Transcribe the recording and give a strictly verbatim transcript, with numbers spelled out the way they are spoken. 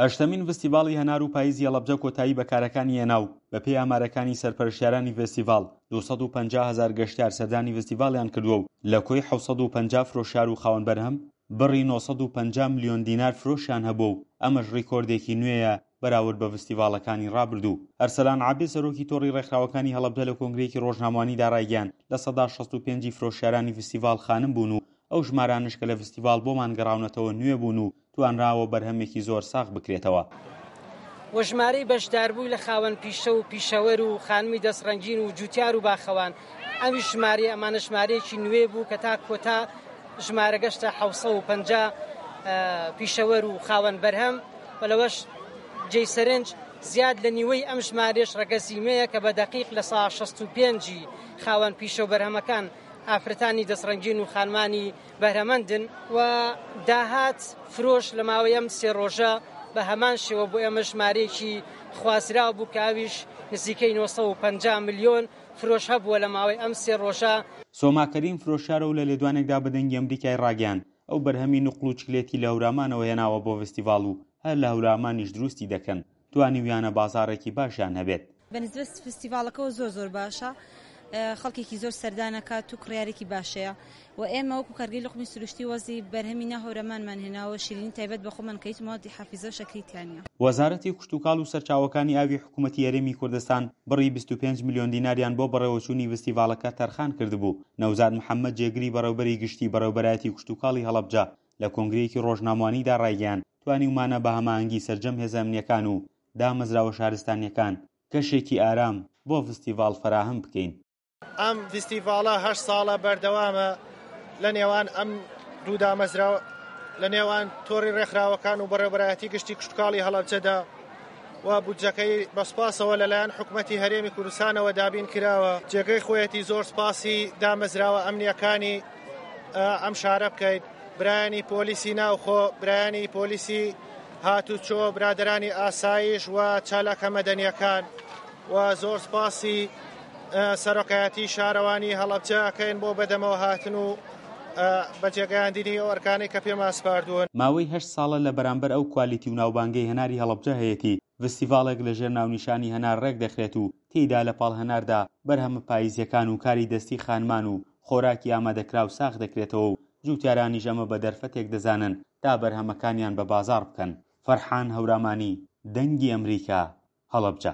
هەشتەمین ڤستیڤاڵی هەنار و پاییزی هەڵەبجە کۆتایی بە کارەکانی هێنا و بەپێی ئامارەکانی سەرپەرشتیارانی ڤستیڤاڵ دوو سەد و پەنجا هەزار گەشتیار سەردانی ڤستیڤاڵیان کردووە و لە کۆی حەوت سەد و پەنجا فرۆشیار و خاوەن بەرهەم بڕی نۆ سەد و پەنجا ملیۆن دینار فرۆشیان هەبووە و ئەمەش ڕیکۆردێکی نوێیە بەراورد بە ڤستیڤاڵەکانی ڕابردوو. ئەرسەلان عەبێ سەرۆکی تۆڕی ڕێکخراوەکانی هەڵەبجە لە کۆنگرەیەکی ڕۆژنامەوانیدا ڕایگەیاند لە سەدا شەست و پێنج ی فرۆشیارانی ڤستیڤاڵ خانم بوون و ئەو ژمارانەش کە لە ڤستیڤاڵ بۆمان گەڕاونەتەوە نوێ بوون و توانراوە بەرهەمێکی زۆر ساغ بکرێتەوە. و ژمارەی بەشداربووی لە خاوەن پیشە و پیشەوەر و خانمی دەستڕەنگین و جوتیار و باخەوان ئەویش ژمارەی ئەمانە ژمارەیەکی نوێ بوو کە تا کۆتا ژمارە گەشتە حەوت سەد و پەنجا پیشەوەر و خاوەن بەرهەم و لەوەش جێی سەرنج زیاد لە نیوەی ئەم ژمارەیەش ڕەگەزی مێیە کە بە دەقیق لە سا شەست و پێنج ی خاوەن پیشە و بەرهەمەکان ئافرەتانی دەستڕەنگین و خانمانی بەهرەمەندن و داهات فرۆش لە ماوەی ئەم سێ ڕۆژە بە هەمان شێوە بۆ ئێمە ژمارەیەکی خوازراو بوو کە ئەویش نزیکەی نۆ سەد و پەنجا ملیۆن فرۆش هەبووە لە ماوەی ئەم سێ ڕۆژە. سۆما کەریم فرۆشیارە و لە لێدوانێکدا بە دەنگی ئەمریکای ڕاگەیاند، ئەو بەرهەمی نوقڵ و چکلێتی لە هەورامانەوە هێناوە بۆ ڤستیڤاڵ و هەر لە هەورامانیش دروستی دەکەن، توانیویانە بازاڕێکی باشیان هەبێت. بە نسبەت فستیڤاڵەکەوە زۆر زۆر باشە، خەڵکێکی زۆر سەردان ئەکات و کڕیارێکی باشەیە و ئێمە وەکو کارگەی لوقمی سروشتی وەزی بەرهەمی ناو هەورامانمان هێناوە شیرینی تایبەت بە خۆمان کە هیچ مەوادی حافیزە و شەکری تیا نییە. وەزارەتی کشتوکاڵ و سەرچاوەکانی ئاوی حکومەتی هەرێمی کوردستان بڕی بیست و پێنج ملیۆن دیناریان بۆ بەڕێوەچوونی ڤستیڤاڵەکە تەرخان کردبوو. نەوزاد محەمەد جێگری بەڕێوبەری گشتی بەڕێوبەرایەتی کشتوکاڵی هەڵەبجە لە کۆنگرەیەکی ڕۆژنامەوانیدا ڕایگەیاند، توانیومانە بە هەماهەنگی سەرجەم هێزە ئەمنییەکان و دامەزراوە شارستانییەکان کەشێکی ئارام بۆ ڤستیڤاڵ فەراهەم بکەین. ئەم ڤستیڤاڵە هەشت ساڵە بەردەوامە لە نێوان ئەم دوو دامەزراوە لە نێوان تۆڕی ڕێکخراوەکان و بەڕێوەبەرایەتی گشتی کشتوکاڵی هەڵەبجەدا و بودجەکەی بە سوپاسەوە لەلایەن حکومەتی هەرێمی کوردستانەوە دابین کراوە. جێگەی خۆیەتی زۆر سوپاسی دامەزراوە ئەمنییەکانی ئەم شارە بکەین، برایانی پۆلیسی ناوخۆ، برایانی پۆلیسی هاتوچۆ، برادەرانی ئاسایش و چالاکە مەدەنیەکان و زۆر سوپاسی سەرۆکایەتی شارەوانی هەڵەبجە ئەکەین بۆ بەدەمەوە هاتن و بەجێگەیاندنی ئەو ئەرکانەی کە پێمان سپاردوون. ماوەی هەشت ساڵە لە بەرامبەر ئەو کوالیتی و ناوبانگەی هەناری هەڵەبجە هەیەتی، ڤستیڤاڵێک لە ژێر ناونیشانی هەنار ڕێک دەخرێت و تێیدا لە پاڵ هەناردا بەرهەمە پاییزیەکان و کاری دەستی خانمان و خۆراکی ئامادەکراو ساغ دەکرێتەوە و جوتیارانیش ئەمە بە دەرفەتێک دەزانن تا بەرهەمەکانیان بە بازاڕ بکەن. فەرحان هەورامانی، دەنگی ئەمریکا، هەڵەبجە.